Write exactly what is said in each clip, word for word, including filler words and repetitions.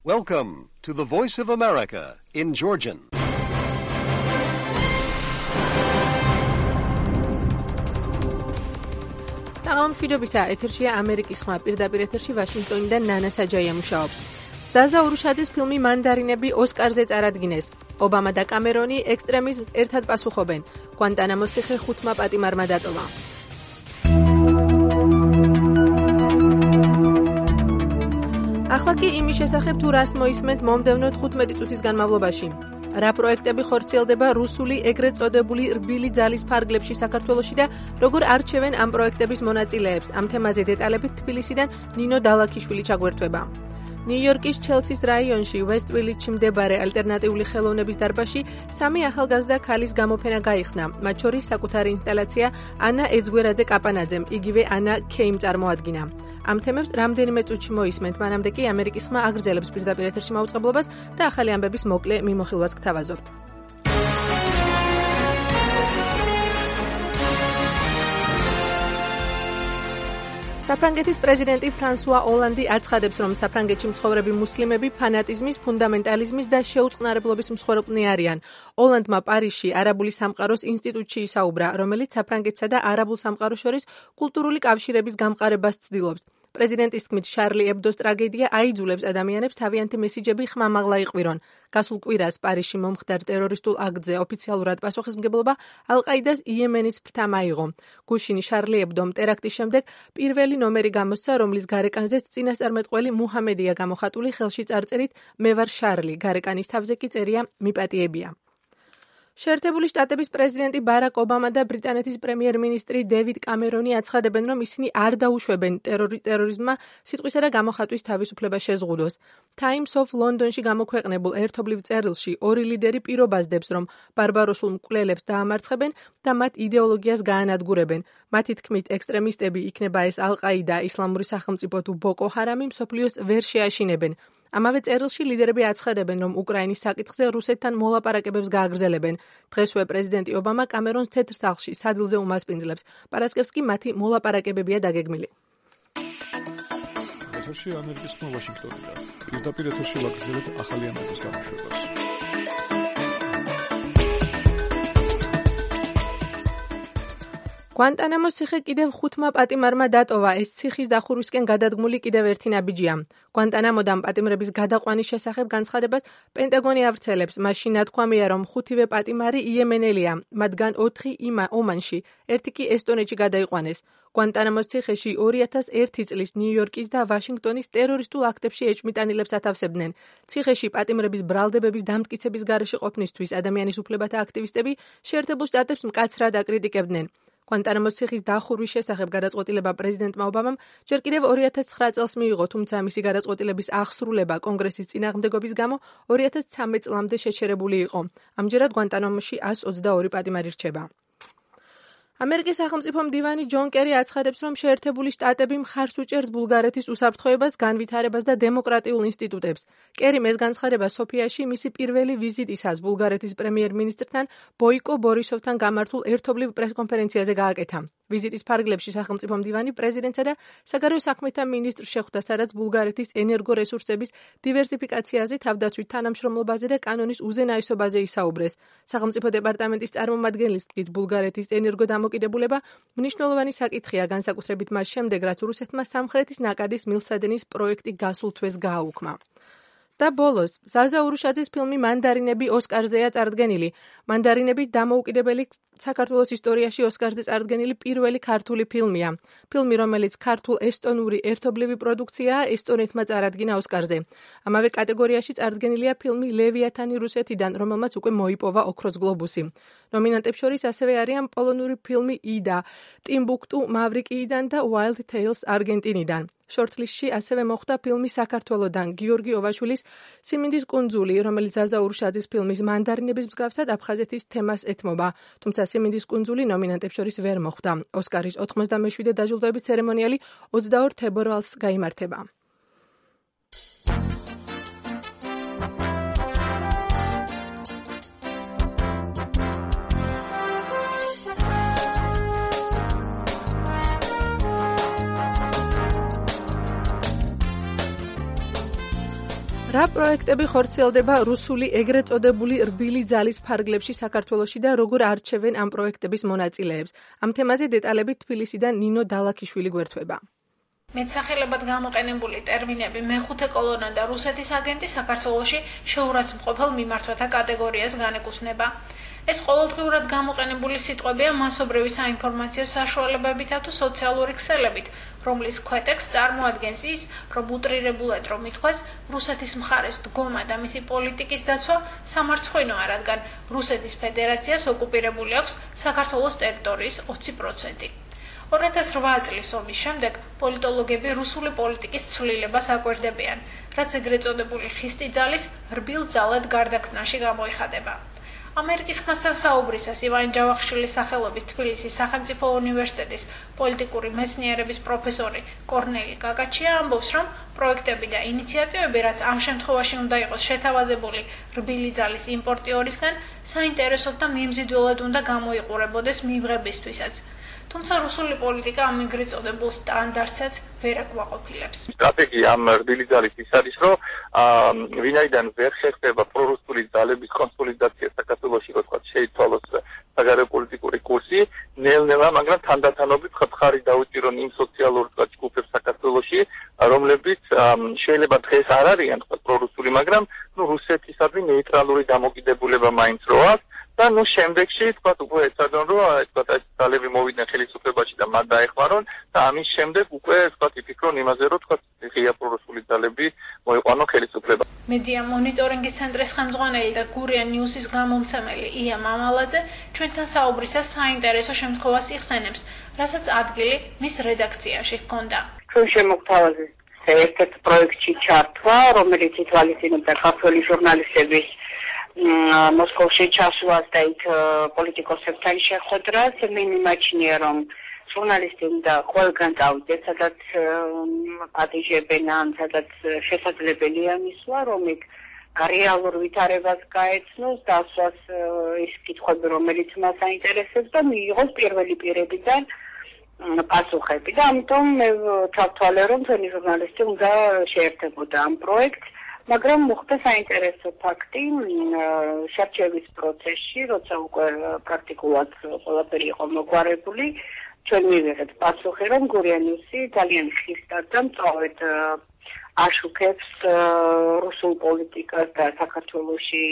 Welcome to the Voice of America in Georgian. საღამო მშვიდობისა, ეთერშია ამერიკის ხმა, პირდაპირ ეთერში ვაშინგტონიდან ნანა საჯაია მუშაობს. ზაზა ურუშაძის ფილმი მანდარინები ოსკარზე წარადგინეს. ობამა და კამერონი ექსტრემიზმს ერთად პასუხობენ. გვანტანამოს ციხე ხუთმა პატიმარმა დატოვა. ახლა კი იმის შესახებ თუ რას მოისმენთ მომდევნო თხუთმეტი წუთის განმავლობაში. რა პროექტები ხორციელდება რუსული ეგრეთ წოდებული რბილი ძალის ფარგლებში საქართველოში და როგორ არჩევენ ამ პროექტების მონაწილეებს. ამ თემაზე დეტალებით თბილისიდან ნინო დალაქიშვილი ჩაგვერთვება. ნიუ-იორკის ჩელსის რაიონში ვესტ-ვილიჯში მდებარე ალტერნატიული ხელოვნების დარბაზში სამი ახალგაზრდა ქალის გამოფენა გაიხსნა. მათ შორის საკუთარი ინსტალაცია ანა ეძგვერაძე კაპანაძემ, იგივე ანა ქეიმ წარმოადგინა. ამ თემებს რამდენიმე წუთში მოისმენთ, მანამდე კი ამერიკის ხმა აგრძელებს პირდაპირ ეთერში მაუწყებლობას და ახალი ამბების მოკლე მიმოხილვას გთავაზობთ. საფრანგეთის პრეზიდენტი ფრანსუა ოლანდი აცხადებს, რომ საფრანგეთში მცხოვრები მუსლიმები ფანატიზმის, ფუნდამენტალიზმის და შეუწყნარებლობის მსხვერპლნი არიან. ოლანდმა პარიზში არაბული სამყაროს ინსტიტუტში ისაუბრა, რომელიც საფრანგეთსა და არაბულ სამყაროს შორის კულტურული კავშირების გამყარებას ცდილობს. პრეზიდენტის თქმით, შარლი ებდოს ტრაგედია აიძულებს ადამიანებს თავიანთი მესიჯები ხმამაღლა იყვირონ. გასულ კვირას პარიზში მომხდარ ტერორისტულ აქტზე ოფიციალურად პასუხისმგებლობა ალ-ყაიდას იემენის ფრთამ აიღო. გუშინ შარლი ებდომ ტერაქტის შემდეგ პირველი ნომერი გამოსცა, რომლის გარეკანზეც წინასწარმეტყველი მუჰამედია გამოხატული ხელში წარწერით „მე ვარ შარლი“, გარეკანის თავზე კი წერია „მიპატიებია“. შეერთებული შტატების პრეზიდენტი ბარაკ ობამა და ბრიტანეთის პრემიერ-მინისტრი დევიდ კამერონი აცხადებენ, რომ ისინი არ დაუშვებენ ტერორი ტერორიზმმა სიტყვისა და გამოხატვის თავისუფლებას შეზღუდოს. Times of London-ში გამოქვეყნებულ ერთობლივ წერილში ორი ლიდერი პირობაზდებს, რომ ბარბაროსულ მკვლელებს დაამარცხებენ და მათ იდეოლოგიას გაანადგურებენ. მათი თქმით, ექსტრემისტები, იქნება ეს ალ-ყაიდა, ისლამური სახელმწიფო თუ ბოკო ჰარამი, მსოფლიოს ვერ შეაშინებენ. ამავე წერილში ლიდერები აცხადებენ, რომ უკრაინის საკითხზე რუსეთთან მოლაპარაკებებს გააგრძელებენ. დღესვე პრეზიდენტი ობამა კამერონს თეთრ სახლში სადილზე უმასპინძლებს. პარასკევს კი მათი მოლაპარაკებებია დაგეგმილი. ეთერში ამერიკის ხმა ვაშინგტონიდან. პირდაპირ ეთერში ვაგრძელებთ ახალი ამბების გამოშვებას. გვანტანამოს ციხე კიდევ ხუთმა პატიმარმა დატოვა. ეს ციხის დახურვისკენ გადადგმული კიდევ ერთი ნაბიჯია. გვანტანამოდან პატიმრების გადაყვანის შესახებ განცხადებას პენტაგონი ავრცელებს. მაშინ ნათქვამია, რომ ხუთივე პატიმარი იემენელია, მათგან ოთხი იმა ომანში, ერთი კი ესტონეთში გადაიყვანეს. გვანტანამოს ციხეში ორი ათას ერთი წლის ნიუ-იორკის და ვაშინგტონის ტერორისტულ აქტებში ეჭვმიტანილებს ათავსებდნენ. ციხეში პატიმრების ბრალდებების დამტკიცების გარეშე ყოფნისთვის ადამიანის უფლებათა აქტივისტები შეერთებულ შტატებს მკაცრად აკრიტიკებდნენ. გვანტანამოს ციხის დახურვის შესახებ გადაწყვეტილება პრეზიდენტმა ობამამ ჯერ კიდევ ორი ათას ცხრა წელს მიიღო, თუმცა მისი გადაწყვეტილების აღსრულება კონგრესის წინააღმდეგობის გამო ორი ათას ცხრამეტ წლამდე შეჩერებული იყო. ამჯერად გვანტანამოში ას ოცდაორი პატიმარი რჩება. ამერიკის სახელმწიფო მდივანი ჯონ კერი აცხადებს, რომ შეერთებული შტატები მხარს უჭერს ბულგარეთის უსაფრთხოებას, განვითარებას და დემოკრატიულ ინსტიტუტებს. კერიმ ეს განცხადება სოფიაში მისი პირველი ვიზიტისას ბულგარეთის პრემიერ-მინისტრთან ბოიკო ბორისოვთან გამართულ ერთობლივ პრესკონფერენციაზე გააკეთა. ვიზიტის ფარგლებში სახელმწიფო მდივანი პრეზიდენტსა და საგარეო საქმეთა მინისტრს შეხვდა, სადაც ბულგარეთის ენერგორესურსების დივერსიფიკაციაზე, თავდაცვით თანამშრომლობაზე და კანონის უზენაესობაზე ისაუბრეს. სახელმწიფო დეპარტამენტის წარმომადგენლის თქმით, ბულგარეთის ენერგოდამოკიდებულება მნიშვნელოვანი საკითხია, განსაკუთრებით მას შემდეგ, რაც რუსეთმა სამხრეთის ნაკადის მილსადენის პროექტი გასულ თვეს გააუქმა. და ბოლოს, ზაზა ურუშაძის ფილმი მანდარინები ოსკარზეა წარდგენილი. მანდარინები დამოუკიდებელი საქართველოს ისტორიაში ოსკარზე წარდგენილი პირველი ქართული ფილმია. ფილმი, რომელიც ქართულ-ესტონური ერთობლივი პროდუქციაა, ესტონეთმა წარადგინა ოსკარზე. ამავე კატეგორიაში წარდგენილია ფილმი ლევიათანი რუსეთიდან, რომელმაც უკვე მოიპოვა ოქროს გლობუსი. ნომინანტებს შორის ასევე არიან პოლონური ფილმი იდა, ტიმბუქტუ მავრიკიიდან და Wild Tales არგენტინიდან. შორტლისტში ასევე მოხვდა ფილმი საქართველოდან გიორგი ოვაშვილის სიმინდის კუნძული, რომელიც ზაზა ურუშაძის ფილმის მანდარინების მსგავსად აფხაზეთის თემას ეთმობა, თუმცა სიმინდის კუნძული ნომინანტებს შორის ვერ მოხვდა. ოსკარის ოთხმოცდამეშვიდე დაჯილდოების ცერემონიალი ოცდაორ თებერვალს გაიმართება. რა პროექტები ხორციელდება რუსული ეგრეთ წოდებული რბილი ძალის ფარგლებში საქართველოში და როგორ არჩევენ ამ პროექტების მონაწილეებს? ამ თემაზე დეტალებით თბილისიდან ნინო დალაქიშვილი გვერდება. მეტსახელებად გამოყენებული ტერმინები მეხუთე კოლონა და რუსეთის აგენტი საქართველოში შეურაცხმყოფელ მიმართვათა კატეგორიას განეკუთვნება. ეს ყოველდღიურად გამოყენებული სიტყვებია მასობრივი საინფორმაციო საშუალებებითა თუ სოციალური ქსელებით, რომლის ქვეტექსტს წარმოადგენს ის, რომ უტრირებულად რომ ითქვას, რუსეთის მხარეს დგომა და მისი პოლიტიკის დაცვა სამარცხვინოა, რადგან რუსეთის ფედერაციას ოკუპირებული აქვს საქართველოს ტერიტორიის ოცი პროცენტი. ორი ათას რვა წლის ომის შემდეგ პოლიტოლოგები რუსული პოლიტიკის ცვლილებას აკვირდებიან, რაც ეგრეთ წოდებული ხისტი ძალის რბილ ძალად გარდაქმნაში გამოიხადება. ამერიკის ხმასთან საუბრისას ივან ჯავახიშვილის სახელობის თბილისის სახელმწიფო უნივერსიტეტის პოლიტიკური მეცნიერების პროფესორი კორნელი კაკაჩია ამბობს, რომ პროექტები და ინიციატივები, რაც ამ შემთხვევაში უნდა იყოს შეთავაზებული რბილი ძალის იმპორტიორისგან, საინტერესოდ და მიმზიდველად უნდა გამოიყურებოდეს მიღებისთვისაც. თუმცა რუსული პოლიტიკა ამ ეგრეთ წოდებულ სტანდარტსაც ვერ აკვაყოფილებს. სტრატეგია ამ რბილი ძალის ის არის, რომ ვინაიდან ვერ შეხება პრორუსული ძალების კონსოლიდაცია საქართველოში, როგორც შეიცვალოს საგარეო პოლიტიკური კურსი, ნელ-ნელა, მაგრამ თანდათანობით ხთხარი დაუჭირონ იმ სოციალურ ჯგუფებს საქართველოში, რომლებიც შეიძლება დღეს არ არიან პრორუსული, მაგრამ ნუ რუსეთისადმი ნეიტრალური დამოკიდებულება მაინც რო აქვს. და ნუ შემდეგში თქვა უკვე ეცადონ რომ თქვა ეს ძალები მოვიდნენ ხელისუფლებაში და მათ დაეხმარონ და ამის შემდეგ უკვე თქვა იფიქრონ იმაზე რომ თქვა ღია პრორუსული ძალები მოიყვანონ ხელისუფლება. მედია მონიტორინგის ცენტრის ხელმძღვანელი და გურია ნიუსის გამომცემელი ია მამალაძე ჩვენთან საუბრისას საინტერესო შემთხვევას იხსენებს, რასაც ადგილი მის რედაქციაში ჰქონდა. ჩვენ შემოგთავაზეს ერთ-ერთ პროექტში ჩართვა, რომელიც ითვალისწინებდა ქართველი ჟურნალისტების მოსკოვში ჩასვლას და იქ პოლიტიკოსებთან შეხვედრას. მე მიმაჩნია, რომ ჟურნალისტი უნდა ყველგან წავიდეს, სადაც პატიჟებენ ან სადაც შესაძლებელია მისვლა, რომ იქ რეალურ ვითარებას გაეცნოს, დასვას ის კითხვები, რომელიც მას აინტერესებს და მიიღოს პირველი პირებიდან პასუხები. და ამიტომ მე ჩავთვალე, რომ თქვენი ჟურნალისტი უნდა შეერთებოდა ამ პროექტს. მაგრამ მოხდა საინტერესო ფაქტი შერჩევის პროცესში, როცა უკვე პრაქტიკულად ყველაფერი იყო მოგვარებული, ჩვენ მივიღეთ პასუხი, რომ გურია ნიუსი ძალიან ხისტად და მწვავედ აშუქებს რუსულ პოლიტიკას და საქართველოში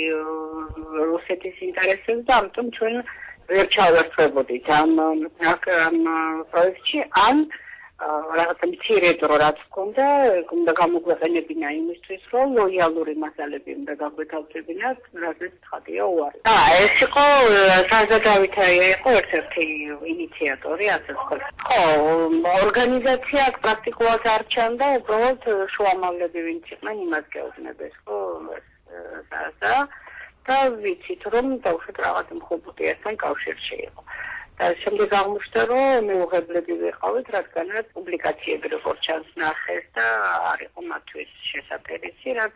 რუსეთის ინტერესებს და ამიტომ ჩვენ ვერ ჩავერთვებოდით ამ პროექტში, ან რაღაცა მცირე დრო რაც ჰქონდა, უნდა გამოგვეყენებინა იმისთვის, რომ ლოიალური მასალები უნდა გაგვეთავსებინათ, რასაც ცხადია უარი. და ეს იყო საზა დავითაია იყო ერთ-ერთი ინიციატორი, ასე ვთქვათ. ხო, ორგანიზაცია აქ პრაქტიკულად არ ჩანდა, უბრალოდ შუამავლები ვინც იყვნენ, იმას გეუბნებეს, ხო, საზა და ვიცით, რომ დავუშვათ რაღაც მხობუტიასთან კავშირში იყო. და შემდეგ აღმოჩნდა, რომ მეუღებლები ვიყავით, რადგანაც პუბლიკაციები როგორც ჩანს ნახეს და არ იყო მათთვის შესაძლებელი, რაც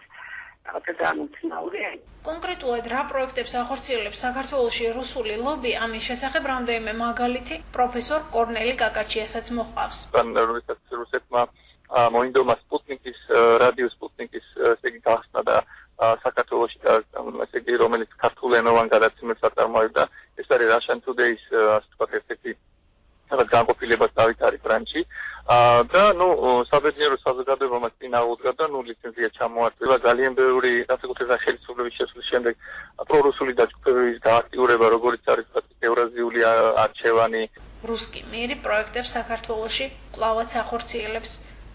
რაღაცა განუცნაურია. კონკრეტულად რა პროექტებს ახორციელებს საქართველოში რუსული ლობი, ამის შესახებ რამდენიმე მაგალითი პროფესორ კორნელი კაკაჩიასაც მოჰყავს. რუსეთმა მოინდომა სპუტნიკის რადიო სპუტნიკის ესე იგი გახსნა და საქართველოში და ესე იგი რომელიც ქართულენოვან გადაცემებს აწარმოებდა. ეს არის Russian Today-ს ასე ვთქვათ ერთ-ერთი რაღაც განყოფილებას დავითარი ფრანჩი და ნუ საბედნიერო საზოგადოებამ წინა უდგა და ნუ ლიცენზია ჩამოართვა. ძალიან ბევრი განსაკუთრებით ხელისუფლების შესვლის შემდეგ პრორუსული დაჯგუფებების გააქტიურება, როგორც არის ვთქვათ ევრაზიული არჩევანი. რუსკი მირი პროექტებს საქართველოში კვლავაც ახორციელებს.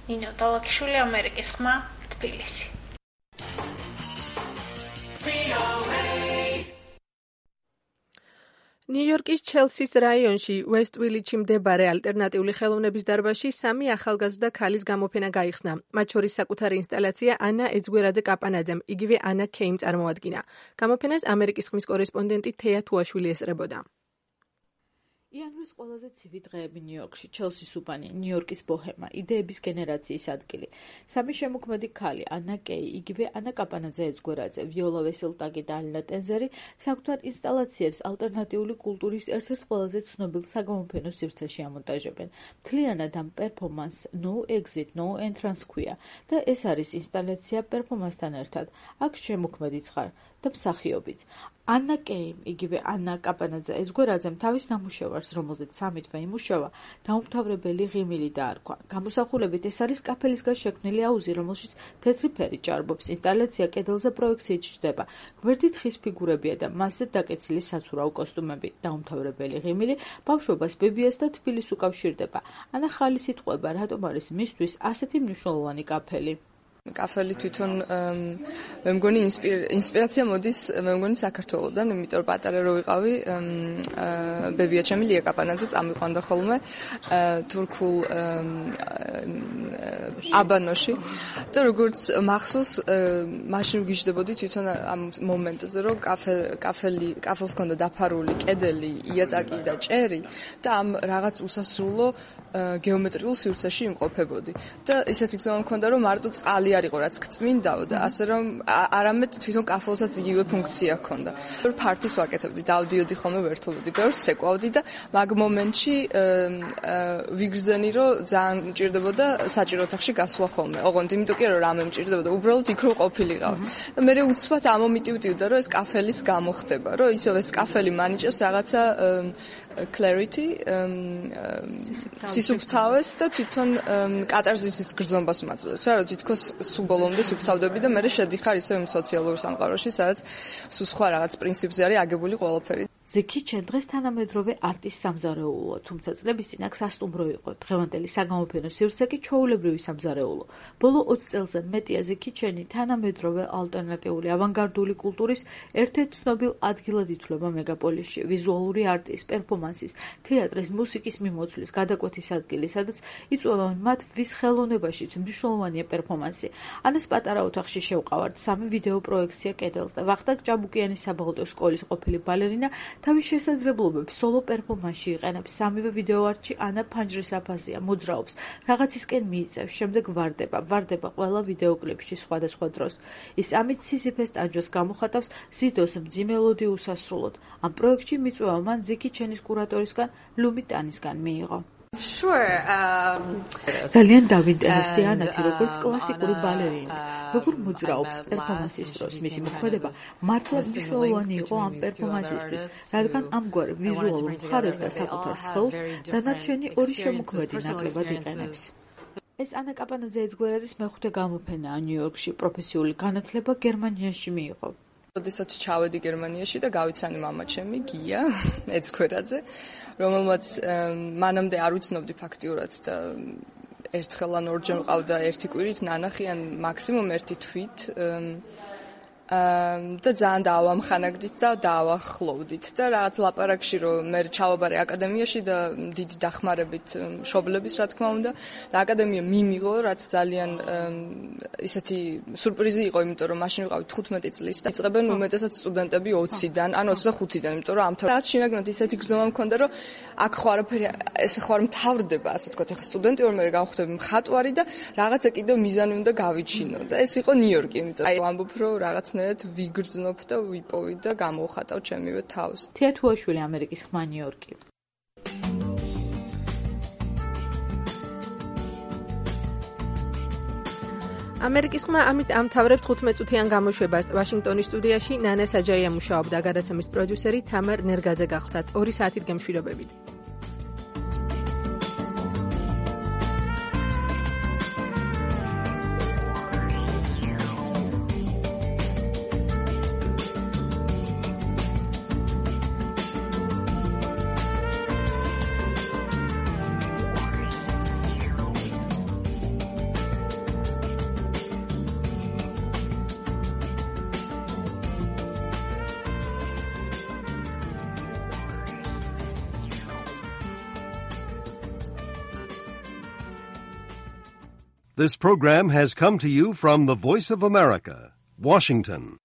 ნინო დალაქიშვილი, ამერიკის ხმა, თბილისი. ნიუ-იორკის ჩელსის რაიონში უესტ-ვილიჩში მდებარე ალტერნატიული ხელოვნების დარბაზში სამი ახალგაზრდა ქალის გამოფენა გაიხსნა. მათ შორის საკუთარი ინსტალაცია ანა ეძგვერაძე-კაპანაძემ, იგივე ანა ქეიმ წარმოადგინა. გამოფენას ამერიკის ხმის კორესპონდენტი თეა თუაშვილი ესწრებოდა. იანვრის ყველაზე ცივი დღეები ნიუ-იორკში, ჩელსის უბანი, ნიუ-იორკის ბოჰემა, იდეების გენერაციის ადგილი. სამი შემოქმედი ქალი, ანა კეი, იგივე ანა კაპანაძე ეძგვერაძე, ვიოლა ვესელტაგი და ალინა ტენზერი საკუთარ ინსტალაციებს ალტერნატიული კულტურის ერთ-ერთ ყველაზე ცნობილ საგამოფენო სივრცეში ამონტაჟებენ. მთლიანად ამ პერფორმანსს No Exit, No Entrance ქვია და ეს არის ინსტალაცია პერფორმანსთან ერთად. აქ შემოქმედიც ხარ და მსახიობიც. ანა კეიმ, იგივე ანა კაპანაძე ეძგვერაძემ თავის ნამუშევარს, რომელზეც სამი თვე იმუშავა, დაუმთავრებელი ღიმილი დაარქვა. გამოსახულებით ეს არის კაფელისგან შექმნილი აუზი, რომელშიც თეთრი ფერი ჭარბობს. ინსტალაცია კედელზე პროექციით ჩნდება. გვერდით ხის ფიგურებია და მასზე დაკეცილი საცურაო კოსტუმები. დაუმთავრებელი ღიმილი ბავშვობას, ბებიას და თბილისს უკავშირდება. ანა ხალის იტყვება, რატომ არის მისთვის ასეთი მნიშვნელოვანი კაფელი. კაფელი თვითონ მე მგონი ინსპირაცია მოდის მე მგონი საქართველოდან, იმიტომ რომ პატარა რო ვიყავი, ბებია ჩემი ლია კაპანაძე წამიყვანდა ხოლმე თურქულ აბანოში და როგორც მახსოვს მაშინ ვგიჟდებოდი თვითონ ამ მომენტზე, რომ კაფე კაფელი კაფელს ჰქონდა დაფარული კედელი, იატაკი და ჭერი და ამ რაღაც უსასრულო გეომეტრიულ სივრცეში იმყოფებოდი და ისეთი გზა მქონდა, რომ მარტო წყალი არ იყო რაც გწმინდაო და ასე რომ არამედ თვითონ კაფელსაც იგივე ფუნქცია ჰქონდა. ფართის ვაკეთებდი, დავდიოდი ხოლმე ვერთობდი, ბევრს ცეკვავდი და მაგ მომენტში ვიგრძენი, რომ ძალიან მჭირდებოდა საჭირო ოთახში გასვლა ხოლმე. ოღონდ იმიტომ კი არა, რომ რამე მჭირდებოდა, უბრალოდ იქ რო ყოფილიყავ. და მე უცბად ამომიტივდივდა, რომ ეს კაფელის გამო ხდება, რომ ისევ ეს კაფელი მანიჭებს რაღაცა clarity, სისუფთავეს და თვითონ კატარზისის გრძნობას მაძლევს. რა, რომ თითქოს სულ ბოლომდე სუფთავდები და მე შედიხარ ისევ იმ სოციალურ სამყაროში, სადაც სულ სხვა რაღაც პრინციპზე არის აგებული ყველაფერი. The Kitchen დღეს თანამედროვე არტის სამზარეულოა, თუმცა წლების წინ აქ სასტუმრო იყო. დღევანდელი საგამოფენო სივრცე კი ჩვეულებრივი სამზარეულო. ბოლო ოცი წელზე მეტია The Kitchen-ი თანამედროვე ალტერნატიული ავანგარდული კულტურის ერთ-ერთ ცნობილ ადგილად ითვლება მეგაპოლისში. ვიზუალური არტის, პერფორმანსის, თეატრის, მუსიკის მიმოცვლის, გადაკვეთის ადგილი, სადაც იწვევენ მათ ვის ხელოვნებაშიც მნიშვნელოვანია პერფორმანსი. ანას პატარა ოთახში შევყავართ სამი ვიდეო პროექცია კედელს და ვახტანგ ჭაბუკიანის საბაღლო სკოლის ყოფილი ბალერინა თავის შესაძლებლობებს სოლო პერფორმანსში იყენებს. სამივე ვიდეოარტში ანა ფანჯრის აფაზია, მოძრაობს, რაღაცისკენ მიიწევს, შემდეგ ვარდება, ვარდება ყველა ვიდეოკლიპში სხვადასხვა დროს. ის ამით სიზიფეს ტანჯვას გამოხატავს, ზიდოს მძიმე უსასრულოდ. ამ პროექტში მიწვევა მან The Kitchen-ის კურატორისგან ლუმი ტანისგან მიიღო. Sure. Um, ძალიან დავინტერესდი ანათი, როგორც კლასიკური ბალერინი, როგორ მოძრაობს პერფორმანსის დროს. მისი მოქმედება მართლა მნიშვნელოვანი იყო ამ პერფორმანსისთვის, რადგან ამგვარ ვიზუალურ მხარეს და საკუთარ სხეულს დანარჩენი ორი შემოქმედი ნაკლებად იყენებს. ეს ანა კაპანაძე ეძგვერაძის მეხუთე გამოფენაა ნიუ-იორკში. პროფესიული განათლება გერმანიაში მიიღო. როდესაც ჩავედი გერმანიაში და გავიცანი მამა ჩემი გია ეძგვერაძე, რომელმაც მანამდე არ ვიცნობდი ფაქტიურად და ერთხელ ან ორჯერ მყავდა ერთი კვირით ნანახი ან მაქსიმუმ ერთი თვით და ძალიან დავამხანაგდით და დავახლოვდით და რაღაც ლაპარაკში რომ მე ჩავაბარე აკადემიაში და დიდი დახმარებით მშობლების რა თქმა უნდა და აკადემია მიმიღო, რაც ძალიან ისეთი სურპრიზი იყო, იმიტომ რომ მაშინ ვიყავი თხუთმეტი წლის და იწყებენ უმეტესად სტუდენტები ოციდან ან ოცდახუთიდან, იმიტომ რომ ამ რაღაც შინაგნად ისეთი გზნობა მქონდა, რომ აქ ხო არაფერი ესე ხო არ მთავრდება, ასე ვთქვათ, ახლა სტუდენტი ვარ, მე გავხდები მხატვარი და რაღაცა კიდევ მიზანი უნდა გავიჩინო და ეს იყო ნიუ-იორკი, იმიტომ რომ ამბობ რომ რაღაც ვიგრძნობ და ვიპოვი და გამოვხატავ ჩემივე თავს. თეათუაშვილი, ამერიკის ხმა, ნიუ-იორკი. ამერიკის ხმა ამით ამთავრებთ თხუთმეტ წუთიან გამოშვებას. ვაშინგტონის სტუდიაში ნანა საჯაია მუშაობდა, გადაცემის პროდიუსერი თამარ ნერგაძე გახლდათ. ორი საათით გემშვიდობებით. This program has come to you from the Voice of America, Washington.